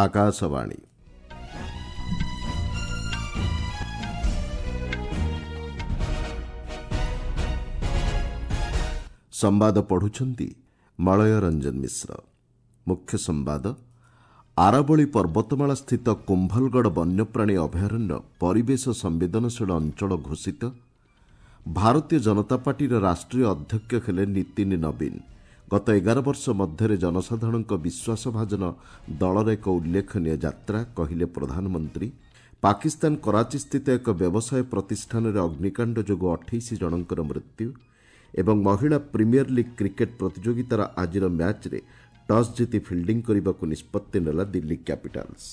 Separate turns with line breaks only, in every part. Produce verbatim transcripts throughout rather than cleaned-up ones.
ଆକାଶବାଣୀ। ସମ୍ବାଦ ପଢୁଛନ୍ତି ମଳୟ ରଞ୍ଜନ ମିଶ୍ର। ମୁଖ୍ୟ ସମ୍ବାଦ। ଆରାବଳୀ ପର୍ବତମାଳା ସ୍ଥିତ କୁମ୍ଭଲଗଡ଼ ବନ୍ୟପ୍ରାଣୀ ଅଭୟାରଣ୍ୟ ପରିବେଶ ସମ୍ବେଦନଶୀଳ ଅଞ୍ଚଳ ଘୋଷିତ। ଭାରତୀୟ ଜନତା ପାର୍ଟିର ରାଷ୍ଟ୍ରୀୟ ଅଧ୍ୟକ୍ଷ ହେଲେ ନୀତିନ ନବୀନ। ଗତ ଏଗାର ବର୍ଷ ମଧ୍ୟରେ ଜନସାଧାରଣଙ୍କ ବିଶ୍ୱାସଭାଜନ ଦଳର ଏକ ଉଲ୍ଲେଖନୀୟ ଯାତ୍ରା, କହିଲେ ପ୍ରଧାନମନ୍ତ୍ରୀ। ପାକିସ୍ତାନ କରାଚିସ୍ଥିତ ଏକ ବ୍ୟବସାୟ ପ୍ରତିଷ୍ଠାନରେ ଅଗ୍ନିକାଣ୍ଡ ଯୋଗୁଁ ଅଠେଇଶ ଜଣଙ୍କର ମୃତ୍ୟୁ। ଏବଂ ମହିଳା ପ୍ରିମିୟର ଲିଗ୍ କ୍ରିକେଟ୍ ପ୍ରତିଯୋଗିତାର ଆଜିର ମ୍ୟାଚ୍ରେ ଟସ୍ ଜିତି ଫିଲ୍ଡିଂ କରିବାକୁ ନିଷ୍ପତ୍ତି ନେଲା ଦିଲ୍ଲୀ କ୍ୟାପିଟାଲ୍ସ।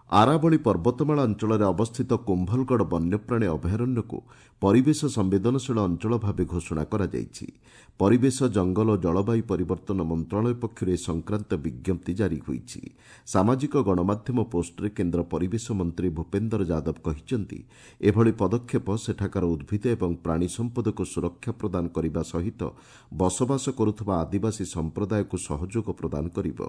ଆରାବଳୀ ପର୍ବତମାଳା ଅଞ୍ଚଳରେ ଅବସ୍ଥିତ କୁମ୍ଭଲଗଡ଼ ବନ୍ୟପ୍ରାଣୀ ଅଭୟାରଣ୍ୟକୁ ପରିବେଶ ସମ୍ବେଦନଶୀଳ ଅଞ୍ଚଳ ଭାବେ ଘୋଷଣା କରାଯାଇଛି। ପରିବେଶ, ଜଙ୍ଗଲ ଓ ଜଳବାୟୁ ପରିବର୍ତ୍ତନ ମନ୍ତ୍ରଣାଳୟ ପକ୍ଷରୁ ଏ ସଂକ୍ରାନ୍ତ ବିଜ୍ଞପ୍ତି ଜାରି ହୋଇଛି। ସାମାଜିକ ଗଣମାଧ୍ୟମ ପୋଷ୍ଟରେ କେନ୍ଦ୍ର ପରିବେଶ ମନ୍ତ୍ରୀ ଭୂପେନ୍ଦର ଯାଦବ କହିଛନ୍ତି, ଏଭଳି ପଦକ୍ଷେପ ସେଠାକାର ଉଦ୍ଭିଦ ଏବଂ ପ୍ରାଣୀ ସମ୍ପଦକୁ ସୁରକ୍ଷା ପ୍ରଦାନ କରିବା ସହିତ ବସବାସ କରୁଥିବା ଆଦିବାସୀ ସମ୍ପ୍ରଦାୟକୁ ସହଯୋଗ ପ୍ରଦାନ କରିବ।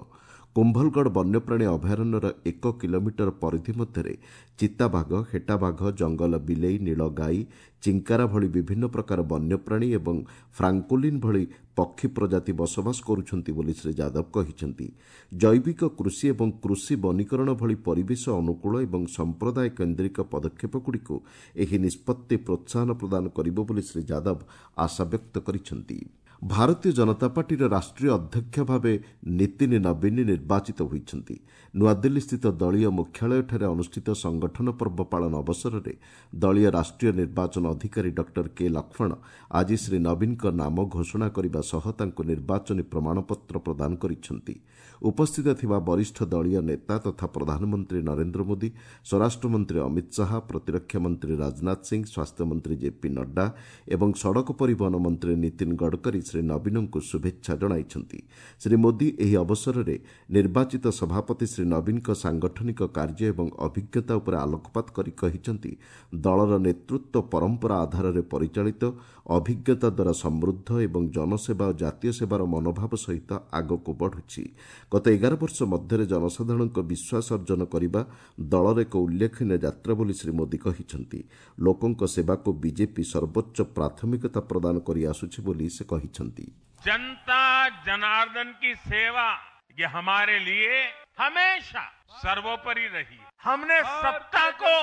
କୁମ୍ଭଲଗଡ଼ ବନ୍ୟପ୍ରାଣୀ ଅଭୟାରଣ୍ୟର ଏକ କିଲୋମିଟର ପରିଧି ମଧ୍ୟରେ ଚିତାବାଘ, ହେଟାବାଘ, ଜଙ୍ଗଲ ବିଲେଇ, ନୀଳଗାଈ, ଚିଙ୍କାରା ଭଳି ବିଭିନ୍ନ ପ୍ରକାର ବନ୍ୟପ୍ରାଣୀ ଏବଂ ଫ୍ରାଙ୍କୋଲିନ୍ ଭଳି ପକ୍ଷୀ ପ୍ରଜାତି ବସବାସ କରୁଛନ୍ତି ବୋଲି ଶ୍ରୀ ଯାଦବ କହିଛନ୍ତି। ଜୈବିକ କୃଷି ଏବଂ କୃଷି ବନୀକରଣ ଭଳି ପରିବେଶ ଅନୁକୂଳ ଏବଂ ସମ୍ପ୍ରଦାୟ କେନ୍ଦ୍ରିକ ପଦକ୍ଷେପଗୁଡ଼ିକୁ ଏହି ନିଷ୍ପତ୍ତି ପ୍ରୋତ୍ସାହନ ପ୍ରଦାନ କରିବ ବୋଲି ଶ୍ରୀ ଯାଦବ ଆଶାବ୍ୟକ୍ତ କରିଛନ୍ତି। ଭାରତୀୟ ଜନତା ପାର୍ଟିର ରାଷ୍ଟ୍ରୀୟ ଅଧ୍ୟକ୍ଷ ଭାବେ ନୀତିନ ନବୀନ ନିର୍ବାଚିତ ହୋଇଛନ୍ତି। ନୂଆଦିଲ୍ଲୀସ୍ଥିତ ଦଳୀୟ ମୁଖ୍ୟାଳୟଠାରେ ଅନୁଷ୍ଠିତ ସଂଗଠନ ପର୍ବ ପାଳନ ଅବସରରେ ଦଳୀୟ ରାଷ୍ଟ୍ରୀୟ ନିର୍ବାଚନ ଅଧିକାରୀ ଡକ୍ଟର କେ ଲକ୍ଷ୍ମଣ ଆଜି ଶ୍ରୀ ନବୀନଙ୍କ ନାମ ଘୋଷଣା କରିବା ସହ ତାଙ୍କୁ ନିର୍ବାଚନୀ ପ୍ରମାଣପତ୍ର ପ୍ରଦାନ କରିଛନ୍ତି। ଉପସ୍ଥିତ ଥିବା ବରିଷ୍ଠ ଦଳୀୟ ନେତା ତଥା ପ୍ରଧାନମନ୍ତ୍ରୀ ନରେନ୍ଦ୍ର ମୋଦି, ସ୍ୱରାଷ୍ଟ୍ରମନ୍ତ୍ରୀ ଅମିତ ଶାହା, ପ୍ରତିରକ୍ଷା ମନ୍ତ୍ରୀ ରାଜନାଥ ସିଂ, ସ୍ୱାସ୍ଥ୍ୟମନ୍ତ୍ରୀ ଜେପି ନଡ୍ଡା ଏବଂ ସଡ଼କ ପରିବହନ ମନ୍ତ୍ରୀ ନୀତିନ ଗଡ଼କରୀ ଶ୍ରୀ ନବୀନଙ୍କୁ ଶୁଭେଚ୍ଛା ଜଣାଇଛନ୍ତି। ଶ୍ରୀ ମୋଦି ଏହି ଅବସରରେ ନିର୍ବାଚିତ ସଭାପତି ଶ୍ରୀ ନବୀନଙ୍କ ସାଂଗଠନିକ କାର୍ଯ୍ୟ ଏବଂ ଅଭିଜ୍ଞତା ଉପରେ ଆଲୋକପାତ କରି କହିଛନ୍ତି, ଦଳର ନେତୃତ୍ୱ ପରମ୍ପରା ଆଧାରରେ ପରିଚାଳିତ, ଅଭିଜ୍ଞତା ଦ୍ୱାରା ସମୃଦ୍ଧ ଏବଂ ଜନସେବା ଓ ଜାତୀୟ ସେବାର ମନୋଭାବ ସହିତ ଆଗକୁ ବଢ଼ୁଛି। ଗତ ଏଗାର ବର୍ଷ ମଧ୍ୟରେ ଜନସାଧାରଣଙ୍କ ବିଶ୍ୱାସ ଅର୍ଜନ କରିବା ଦଳର ଏକ ଉଲ୍ଲେଖନୀୟ ଯାତ୍ରା ବୋଲି ଶ୍ରୀ ମୋଦି କହିଛନ୍ତି। ଲୋକଙ୍କ ସେବାକୁ ବିଜେପି ସର୍ବୋଚ୍ଚ ପ୍ରାଥମିକତା ପ୍ରଦାନ କରିଆସୁଛି ବୋଲି ସେ କହିଛନ୍ତି।
जनता जनार्दन की सेवा ये हमारे लिए हमेशा सर्वोपरि रही। हमने सत्ता को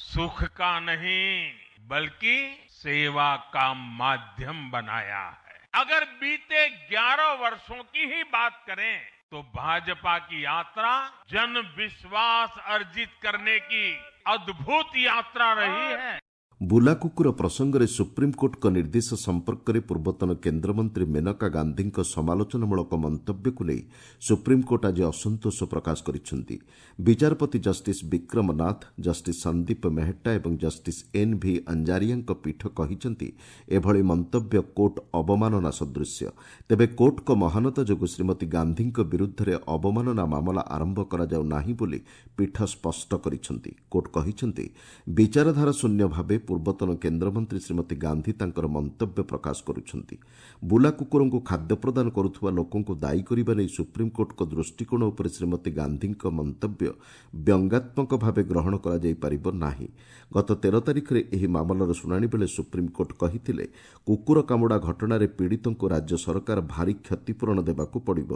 सुख का नहीं बल्कि सेवा का माध्यम बनाया है। अगर बीते ग्यारह वर्षों की ही बात करें तो भाजपा की यात्रा जन विश्वास अर्जित करने की अद्भुत यात्रा रही है।
ବୁଲା କୁକୁର ପ୍ରସଙ୍ଗରେ ସୁପ୍ରିମକୋର୍ଟଙ୍କ ନିର୍ଦ୍ଦେଶ ସମ୍ପର୍କରେ ପୂର୍ବତନ କେନ୍ଦ୍ରମନ୍ତ୍ରୀ ମେନକା ଗାନ୍ଧୀଙ୍କ ସମାଲୋଚନାମୂଳକ ମନ୍ତବ୍ୟକୁ ନେଇ ସୁପ୍ରିମକୋର୍ଟ ଆଜି ଅସନ୍ତୋଷ ପ୍ରକାଶ କରିଛନ୍ତି। ବିଚାରପତି ଜଷ୍ଟିସ୍ ବିକ୍ରମ ନାଥ, ଜଷ୍ଟିସ୍ ସନ୍ଦୀପ ମେହେଟ୍ଟା ଏବଂ ଜଷ୍ଟିସ୍ ଏନ୍ ଭି ଅଞ୍ଜାରିଆଙ୍କ ପୀଠ କହିଛନ୍ତି, ଏଭଳି ମନ୍ତବ୍ୟ କୋର୍ଟ ଅବମାନନା ସଦୃଶ୍ୟ। ତେବେ କୋର୍ଟଙ୍କ ମହାନତା ଯୋଗୁଁ ଶ୍ରୀମତୀ ଗାନ୍ଧୀଙ୍କ ବିରୁଦ୍ଧରେ ଅବମାନନା ମାମଲା ଆରମ୍ଭ କରାଯାଉ ନାହିଁ ବୋଲି ପୀଠ ସ୍ପଷ୍ଟ କରିଛନ୍ତି। କୋର୍ଟ କହିଛନ୍ତି, ବିଚାରଧାରା ଶୂନ୍ୟ ଭାବେ ପୂର୍ବତନ କେନ୍ଦ୍ରମନ୍ତ୍ରୀ ଶ୍ରୀମତୀ ଗାନ୍ଧୀ ତାଙ୍କର ମନ୍ତବ୍ୟ ପ୍ରକାଶ କରୁଛନ୍ତି। ବୁଲା କୁକୁରଙ୍କୁ ଖାଦ୍ୟ ପ୍ରଦାନ କରୁଥିବା ଲୋକଙ୍କୁ ଦାୟୀ କରିବା ନେଇ ସୁପ୍ରିମକୋର୍ଟଙ୍କ ଦୃଷ୍ଟିକୋଣ ଉପରେ ଶ୍ରୀମତୀ ଗାନ୍ଧୀଙ୍କ ମନ୍ତବ୍ୟ ବ୍ୟଙ୍ଗାତ୍ମକ ଭାବେ ଗ୍ରହଣ କରାଯାଇପାରିବ ନାହିଁ। ଗତ ତେର ତାରିଖରେ ଏହି ମାମଲାର ଶୁଣାଣି ବେଳେ ସୁପ୍ରିମକୋର୍ଟ କହିଥିଲେ, କୁକୁର କାମୁଡ଼ା ଘଟଣାରେ ପୀଡ଼ିତଙ୍କୁ ରାଜ୍ୟ ସରକାର ଭାରୀ କ୍ଷତିପୂରଣ ଦେବାକୁ ପଡ଼ିବ।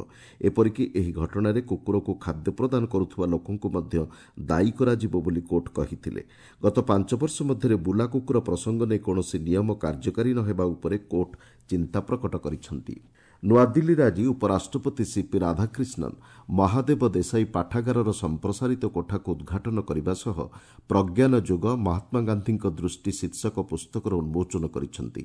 ଏପରିକି ଏହି ଘଟଣାରେ କୁକୁରକୁ ଖାଦ୍ୟ ପ୍ରଦାନ କରୁଥିବା ଲୋକଙ୍କୁ ମଧ୍ୟ ଦାୟୀ କରାଯିବ ବୋଲି କୋର୍ଟ କହିଥିଲେ। ଗତ ପାଞ୍ଚ ବର୍ଷ ମଧ୍ୟରେ ବୁଲା କୁକୁର ପ୍ରସଙ୍ଗ ନେଇ କୌଣସି ନିୟମ କାର୍ଯ୍ୟକାରୀ ନ ହେବା ଉପରେ କୋର୍ଟ ଚିନ୍ତା ପ୍ରକଟ କରିଛନ୍ତି। ନୂଆଦିଲ୍ଲୀରେ ଆଜି ଉପରାଷ୍ଟ୍ରପତି ସିପି ରାଧାକ୍ରିଷ୍ଣନ୍ ମହାଦେବ ଦେଶାଇ ପାଠାଗାରର ସମ୍ପ୍ରସାରିତ କୋଠାକୁ ଉଦ୍ଘାଟନ କରିବା ସହ ପ୍ରଜ୍ଞାନ ଯୁଗ ମହାତ୍ମା ଗାନ୍ଧୀଙ୍କ ଦୃଷ୍ଟି ଶୀର୍ଷକ ପୁସ୍ତକର ଉନ୍ମୋଚନ କରିଛନ୍ତି।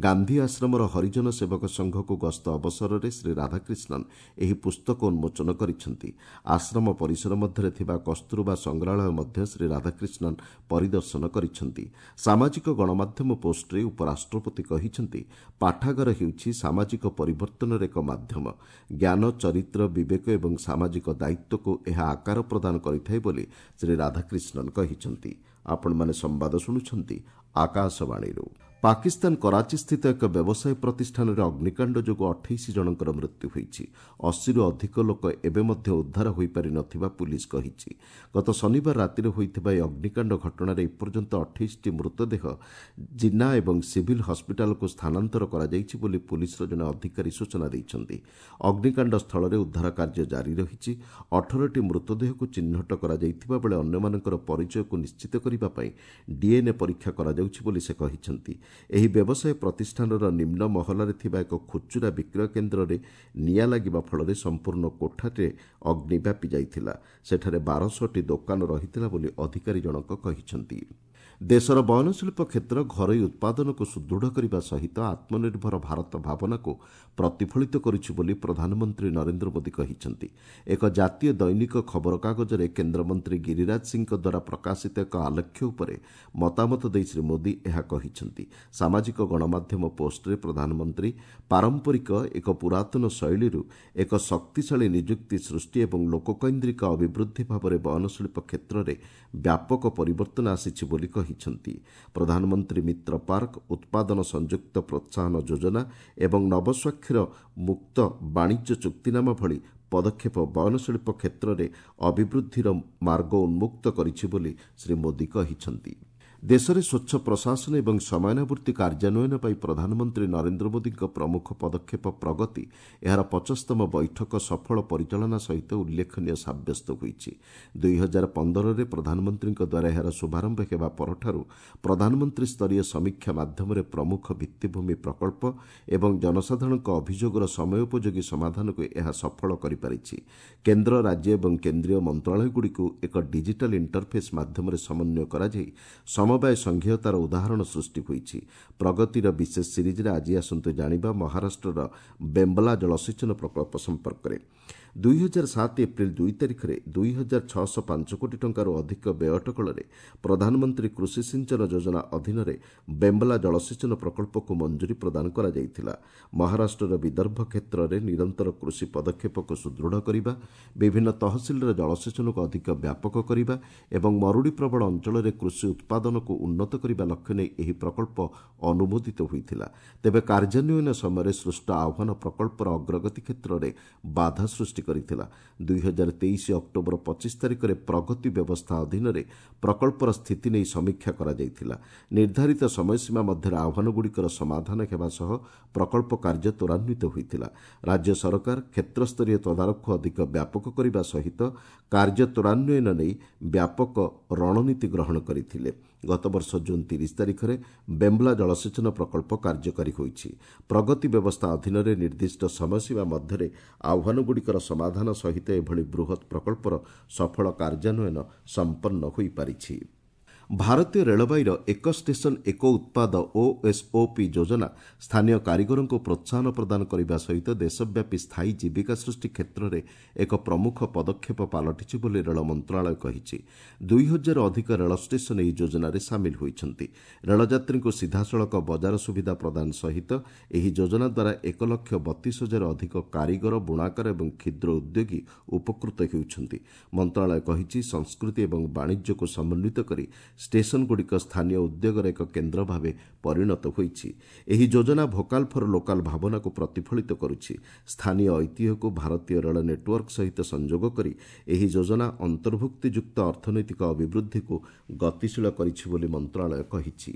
ଗାନ୍ଧୀ ଆଶ୍ରମର ହରିଜନ ସେବକ ସଂଘକୁ ଗସ୍ତ ଅବସରରେ ଶ୍ରୀ ରାଧାକ୍ରିଷ୍ଣନ୍ ଏହି ପୁସ୍ତକ ଉନ୍ମୋଚନ କରିଛନ୍ତି। ଆଶ୍ରମ ପରିସର ମଧ୍ୟରେ ଥିବା କସ୍ତୁରବା ସଂଗ୍ରହାଳୟ ମଧ୍ୟ ଶ୍ରୀ ରାଧାକ୍ରିଷ୍ଣନ୍ ପରିଦର୍ଶନ କରିଛନ୍ତି। ସାମାଜିକ ଗଣମାଧ୍ୟମ ପୋଷ୍ଟରେ ଉପରାଷ୍ଟ୍ରପତି କହିଛନ୍ତି, ପାଠାଗାର ହେଉଛି ସାମାଜିକ ପରିବର୍ତ୍ତନ ପରିବର୍ତ୍ତନର ଏକ ମାଧ୍ୟମ। ଜ୍ଞାନ, ଚରିତ୍ର, ବିବେକ ଏବଂ ସାମାଜିକ ଦାୟିତ୍ୱକୁ ଏହା ଆକାର ପ୍ରଦାନ କରିଥାଏ ବୋଲି ଶ୍ରୀ ରାଧାକ୍ରିଷ୍ଣନ୍ କହିଛନ୍ତି। ଆପଣମାନେ ସମ୍ବାଦ ଶୁଣୁଛନ୍ତି ଆକାଶବାଣୀରୁ। ପାକିସ୍ତାନ କରାଚିସ୍ଥିତ ଏକ ବ୍ୟବସାୟ ପ୍ରତିଷ୍ଠାନରେ ଅଗ୍ନିକାଣ୍ଡ ଯୋଗୁଁ ଅଠେଇଶ ଜଣଙ୍କର ମୃତ୍ୟୁ ହୋଇଛି। ଅଶୀରୁ ଅଧିକ ଲୋକ ଏବେ ମଧ୍ୟ ଉଦ୍ଧାର ହୋଇପାରି ନଥିବା ପୁଲିସ୍ କହିଛି। ଗତ ଶନିବାର ରାତିରେ ହୋଇଥିବା ଏହି ଅଗ୍ନିକାଣ୍ଡ ଘଟଣାରେ ଏପର୍ଯ୍ୟନ୍ତ ଅଠେଇଶଟି ମୃତଦେହ ଜିନ୍ନା ଏବଂ ସିଭିଲ୍ ହସ୍ପିଟାଲକୁ ସ୍ଥାନାନ୍ତର କରାଯାଇଛି ବୋଲି ପୁଲିସ୍ର ଜଣେ ଅଧିକାରୀ ସୂଚନା ଦେଇଛନ୍ତି। ଅଗ୍ନିକାଣ୍ଡ ସ୍ଥଳରେ ଉଦ୍ଧାର କାର୍ଯ୍ୟ ଜାରି ରହିଛି। ଅଠରଟି ମୃତଦେହକୁ ଚିହ୍ନଟ କରାଯାଇଥିବା ବେଳେ ଅନ୍ୟମାନଙ୍କର ପରିଚୟକୁ ନିଶ୍ଚିତ କରିବା ପାଇଁ ଡିଏନ୍ଏ ପରୀକ୍ଷା କରାଯାଉଛି ବୋଲି ସେ କହିଛନ୍ତି। ଏହି ବ୍ୟବସାୟ ପ୍ରତିଷ୍ଠାନର ନିମ୍ନ ମହଲାରେ ଥିବା ଏକ ଖୁଚୁରା ବିକ୍ରୟ କେନ୍ଦ୍ରରେ ନିଆଁ ଲାଗିବା ଫଳରେ ସମ୍ପୂର୍ଣ୍ଣ କୋଠାରେ ଅଗ୍ନି ବ୍ୟାପି ଯାଇଥିଲା। ସେଠାରେ ବାରଶହଟି ଦୋକାନ ରହିଥିଲା ବୋଲି ଅଧିକାରୀ ଜଣକ କହିଛନ୍ତି। ଦେଶର ବୟନଶିଳ୍ପ କ୍ଷେତ୍ର ଘରୋଇ ଉତ୍ପାଦନକୁ ସୁଦୃଢ଼ କରିବା ସହିତ ଆତ୍ମନିର୍ଭର ଭାରତ ଭାବନାକୁ ପ୍ରତିଫଳିତ କରୁଛି ବୋଲି ପ୍ରଧାନମନ୍ତ୍ରୀ ନରେନ୍ଦ୍ର ମୋଦି କହିଛନ୍ତି। ଏକ ଜାତୀୟ ଦୈନିକ ଖବରକାଗଜରେ କେନ୍ଦ୍ରମନ୍ତ୍ରୀ ଗିରିରାଜ ସିଂଙ୍କ ଦ୍ୱାରା ପ୍ରକାଶିତ ଏକ ଆଲେଖ୍ୟ ଉପରେ ମତାମତ ଦେଇ ଶ୍ରୀ ମୋଦି ଏହା କହିଛନ୍ତି। ସାମାଜିକ ଗଣମାଧ୍ୟମ ପୋଷ୍ଟରେ ପ୍ରଧାନମନ୍ତ୍ରୀ ପାରମ୍ପରିକ ଏକ ପୁରାତନ ଶୈଳୀରୁ ଏକ ଶକ୍ତିଶାଳୀ ନିଯୁକ୍ତି ସୃଷ୍ଟି ଏବଂ ଲୋକକୈନ୍ଦ୍ରିକ ଅଭିବୃଦ୍ଧି ଭାବରେ ବୟନଶିଳ୍ପ କ୍ଷେତ୍ରରେ ବ୍ୟାପକ ପରିବର୍ତ୍ତନ ଆସିଛି ବୋଲି କହିଛନ୍ତି। ପ୍ରଧାନମନ୍ତ୍ରୀ ମିତ୍ର ପାର୍କ, ଉତ୍ପାଦନ ସଂଯୁକ୍ତ ପ୍ରୋତ୍ସାହନ ଯୋଜନା ଏବଂ ନବସ୍ୱାକ୍ଷର ମୁକ୍ତ ବାଣିଜ୍ୟ ଚୁକ୍ତିନାମା ଭଳି ପଦକ୍ଷେପ ବୟନଶିଳ୍ପ କ୍ଷେତ୍ରରେ ଅଭିବୃଦ୍ଧିର ମାର୍ଗ ଉନ୍ମୁକ୍ତ କରିଛି ବୋଲି ଶ୍ରୀ ମୋଦି କହିଛନ୍ତି। ଦେଶରେ ସ୍ୱଚ୍ଛ ପ୍ରଶାସନ ଏବଂ ସମୟାନୁବର୍ତ୍ତୀ କାର୍ଯ୍ୟାନ୍ୱୟନ ପାଇଁ ପ୍ରଧାନମନ୍ତ୍ରୀ ନରେନ୍ଦ୍ର ମୋଦିଙ୍କ ପ୍ରମୁଖ ପଦକ୍ଷେପ ପ୍ରଗତି ଏହାର ପଚାଶତମ ବୈଠକ ସଫଳ ପରିଚାଳନା ସହିତ ଉଲ୍ଲେଖନୀୟ ସାବ୍ୟସ୍ତ ହୋଇଛି। ଦୁଇହଜାର ପନ୍ଦରରେ ପ୍ରଧାନମନ୍ତ୍ରୀଙ୍କ ଦ୍ୱାରା ଏହାର ଶୁଭାରମ୍ଭ ହେବା ପରଠାରୁ ପ୍ରଧାନମନ୍ତ୍ରୀ ସ୍ତରୀୟ ସମୀକ୍ଷା ମାଧ୍ୟମରେ ପ୍ରମୁଖ ଭିତ୍ତିଭୂମି ପ୍ରକଳ୍ପ ଏବଂ ଜନସାଧାରଣଙ୍କ ଅଭିଯୋଗର ସମୟୋପଯୋଗୀ ସମାଧାନକୁ ଏହା ସଫଳ କରିପାରିଛି। କେନ୍ଦ୍ର, ରାଜ୍ୟ ଏବଂ କେନ୍ଦ୍ରୀୟ ମନ୍ତ୍ରଣାଳୟଗୁଡ଼ିକୁ ଏକ ଡିଜିଟାଲ ଇଣ୍ଟରଫେସ୍ ମାଧ୍ୟମରେ ସମନ୍ୱୟ କରାଯାଇ ସମବାୟ ସଂଘୀୟତାର ଉଦାହରଣ ସୃଷ୍ଟି ହୋଇଛି। ପ୍ରଗତିର ବିଶେଷ ସିରିଜ୍ରେ ଆଜି ଆସନ୍ତୁ ଜାଣିବା ମହାରାଷ୍ଟ୍ରର ବେମ୍ବଲା ଜଳସେଚନ ପ୍ରକଳ୍ପ ସମ୍ପର୍କରେ। ଦୁଇହଜାର ସାତ ଏପ୍ରିଲ ଦୁଇ ତାରିଖରେ ଦୁଇ ହଜାର ଛଅଶହ ପାଞ୍ଚ କୋଟି ଟଙ୍କାରୁ ଅଧିକ ବ୍ୟୟ ଅଟକଳରେ ପ୍ରଧାନମନ୍ତ୍ରୀ କୃଷି ସିଞ୍ଚନ ଯୋଜନା ଅଧୀନରେ ବେମ୍ବଲା ଜଳସେଚନ ପ୍ରକଳ୍ପକୁ ମଞ୍ଜୁରୀ ପ୍ରଦାନ କରାଯାଇଥିଲା। ମହାରାଷ୍ଟ୍ରର ବିଦର୍ଭ କ୍ଷେତ୍ରରେ ନିରନ୍ତର କୃଷି ପଦକ୍ଷେପକୁ ସୁଦୃଢ଼ କରିବା, ବିଭିନ୍ନ ତହସିଲରେ ଜଳସେଚନକୁ ଅଧିକ ବ୍ୟାପକ କରିବା ଏବଂ ମରୁଡ଼ି ପ୍ରବଣ ଅଞ୍ଚଳରେ କୃଷି ଉତ୍ପାଦନକୁ ଉନ୍ନତ କରିବା ଲକ୍ଷ୍ୟ ନେଇ ଏହି ପ୍ରକଳ୍ପ ଅନୁମୋଦିତ ହୋଇଥିଲା। ତେବେ କାର୍ଯ୍ୟାନ୍ୱୟନ ସମୟରେ ସୃଷ୍ଟ ଆହ୍ୱାନ ପ୍ରକଳ୍ପର ଅଗ୍ରଗତି କ୍ଷେତ୍ରରେ ବାଧା ସୃଷ୍ଟି କରିଥିଲା। ଦୁଇହଜାର ତେଇଶ ଅକ୍ଟୋବର ପଚିଶ ତାରିଖରେ ପ୍ରଗତି ବ୍ୟବସ୍ଥା ଅଧୀନରେ ପ୍ରକଳ୍ପର ସ୍ଥିତି ନେଇ ସମୀକ୍ଷା କରାଯାଇଥିଲା। ନିର୍ଦ୍ଧାରିତ ସମୟସୀମା ମଧ୍ୟରେ ଆହ୍ୱାନଗୁଡ଼ିକର ସମାଧାନ ହେବା ସହ ପ୍ରକଳ୍ପ କାର୍ଯ୍ୟ ତ୍ୱରାନ୍ୱିତ ହୋଇଥିଲା। ରାଜ୍ୟ ସରକାର କ୍ଷେତ୍ରସ୍ତରୀୟ ତଦାରଖକୁ ଅଧିକ ବ୍ୟାପକ କରିବା ସହିତ କାର୍ଯ୍ୟ ତ୍ୱରାନ୍ୱୟନ ନେଇ ବ୍ୟାପକ ରଣନୀତି ଗ୍ରହଣ କରିଥିଲେ। ଗତବର୍ଷ ଜୁନ୍ ତିରିଶ ତାରିଖରେ ବେମ୍ବଲା ଜଳସେଚନ ପ୍ରକଳ୍ପ କାର୍ଯ୍ୟକାରୀ ହୋଇଛି। ପ୍ରଗତି ବ୍ୟବସ୍ଥା ଅଧୀନରେ ନିର୍ଦ୍ଦିଷ୍ଟ ସମୟସୀମା ମଧ୍ୟରେ ଆହ୍ୱାନଗୁଡ଼ିକର ସମାଧାନ ସହିତ ଏଭଳି ବୃହତ୍ ପ୍ରକଳ୍ପର ସଫଳ କାର୍ଯ୍ୟାନ୍ୱୟନ ସମ୍ପନ୍ନ ହୋଇପାରିଛି। ଭାରତୀୟ ରେଳବାଇର ଏକ ଷ୍ଟେସନ ଏକ ଉତ୍ପାଦ ଓଏସ୍ଓପି ଯୋଜନା ସ୍ଥାନୀୟ କାରିଗରଙ୍କୁ ପ୍ରୋତ୍ସାହନ ପ୍ରଦାନ କରିବା ସହିତ ଦେଶବ୍ୟାପୀ ସ୍ଥାୟୀ ଜୀବିକା ସୃଷ୍ଟି କ୍ଷେତ୍ରରେ ଏକ ପ୍ରମୁଖ ପଦକ୍ଷେପ ପାଲଟିଛି ବୋଲି ରେଳ ମନ୍ତ୍ରଣାଳୟ କହିଛି। ଦୁଇ ହଜାର ଅଧିକ ରେଳ ଷ୍ଟେସନ ଏହି ଯୋଜନାରେ ସାମିଲ ହୋଇଛନ୍ତି। ରେଳଯାତ୍ରୀଙ୍କୁ ସିଧାସଳଖ ବଜାର ସୁବିଧା ପ୍ରଦାନ ସହିତ ଏହି ଯୋଜନା ଦ୍ୱାରା ଏକ ଲକ୍ଷ ବତିଶ ହଜାର ଅଧିକ କାରିଗର, ବୁଣାକାର ଏବଂ କ୍ଷୁଦ୍ର ଉଦ୍ୟୋଗୀ ଉପକୃତ ହେଉଛନ୍ତି। ମନ୍ତ୍ରଣାଳୟ କହିଛି, ସଂସ୍କୃତି ଏବଂ ବାଣିଜ୍ୟକୁ ସମନ୍ୱିତ କରି ଷ୍ଟେସନଗୁଡ଼ିକ ସ୍ଥାନୀୟ ଉଦ୍ୟୋଗର ଏକ କେନ୍ଦ୍ର ଭାବେ ପରିଣତ ହୋଇଛି। ଏହି ଯୋଜନା ଭୋକାଲ ଫର ଲୋକାଲ ଭାବନାକୁ ପ୍ରତିଫଳିତ କରୁଛି। ସ୍ଥାନୀୟ ଐତିହ୍ୟକୁ ଭାରତୀୟ ରେଳ ନେଟୱାର୍କ ସହିତ ସଂଯୋଗ କରି ଏହି ଯୋଜନା ଅନ୍ତର୍ଭୁକ୍ତିଯୁକ୍ତ ଅର୍ଥନୈତିକ ଅଭିବୃଦ୍ଧିକୁ ଗତିଶୀଳ କରିଛି ବୋଲି ମନ୍ତ୍ରଣାଳୟ କହିଛି।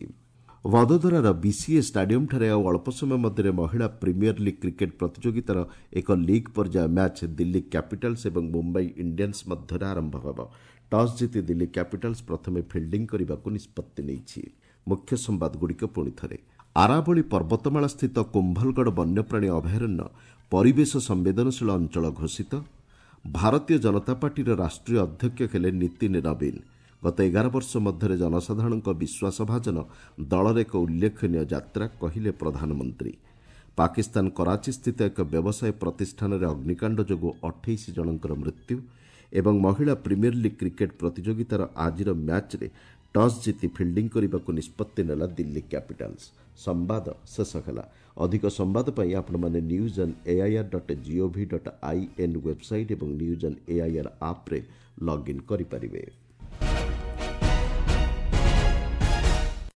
ଭଦୋଦରାର ବିସିଏ ଷ୍ଟାଡିୟମଠାରେ ଆଉ ଅଳ୍ପ ସମୟ ମଧ୍ୟରେ ମହିଳା ପ୍ରିମିୟର ଲିଗ୍ କ୍ରିକେଟ୍ ପ୍ରତିଯୋଗିତାର ଏକ ଲିଗ୍ ପର୍ଯ୍ୟାୟ ମ୍ୟାଚ୍ ଦିଲ୍ଲୀ କ୍ୟାପିଟାଲ୍ସ ଏବଂ ମୁମ୍ବାଇ ଇଣ୍ଡିଆନ୍ସ ମଧ୍ୟରେ ଆରମ୍ଭ ହେବ। ଟସ୍ ଜିତି ଦିଲ୍ଲୀ କ୍ୟାପିଟାଲ୍ସ ପ୍ରଥମେ ଫିଲ୍ଡିଂ କରିବାକୁ ନିଷ୍ପତ୍ତି ନେଇଛି। ମୁଖ୍ୟ ସମ୍ବାଦଗୁଡ଼ିକ ପୁଣି ଥରେ। ଆରାବଳୀ ପର୍ବତମାଳା ସ୍ଥିତ କୁମ୍ଭଲଗଡ଼ ବନ୍ୟପ୍ରାଣୀ ଅଭୟାରଣ୍ୟ ପରିବେଶ ସମ୍ବେଦନଶୀଳ ଅଞ୍ଚଳ ଘୋଷିତ। ଭାରତୀୟ ଜନତା ପାର୍ଟିର ରାଷ୍ଟ୍ରୀୟ ଅଧ୍ୟକ୍ଷ ହେଲେ ନୀତିନ ନବୀନ। ଗତ ଏଗାର ବର୍ଷ ମଧ୍ୟରେ ଜନସାଧାରଣଙ୍କ ବିଶ୍ୱାସଭାଜନ ଦଳର ଏକ ଉଲ୍ଲେଖନୀୟ ଯାତ୍ରା କହିଲେ ପ୍ରଧାନମନ୍ତ୍ରୀ। ପାକିସ୍ତାନ କରାଚି ସ୍ଥିତ ଏକ ବ୍ୟବସାୟ ପ୍ରତିଷ୍ଠାନରେ ଅଗ୍ନିକାଣ୍ଡ ଯୋଗୁଁ ଅଠେଇଶ ଜଣଙ୍କର ମୃତ୍ୟୁ ଏବଂ ମହିଳା ପ୍ରିମିୟର ଲିଗ୍ କ୍ରିକେଟ୍ ପ୍ରତିଯୋଗିତାର ଆଜିର ମ୍ୟାଚ୍ରେ ଟସ୍ ଜିତି ଫିଲ୍ଡିଂ କରିବାକୁ ନିଷ୍ପତ୍ତି ନେଲା ଦିଲ୍ଲୀ କ୍ୟାପିଟାଲ୍ସ। ସମ୍ବାଦ ଶେଷ ହେଲା। ଅଧିକ ସମ୍ବାଦ ପାଇଁ ଆପଣମାନେ news on AIR dot GOV dot I N website ଏବଂ ନ୍ୟୁଜ୍ ଅନ୍ ଏଆଇଆର୍ ଆପ୍ରେ ଲଗ୍ଇନ୍ କରିପାରିବେ।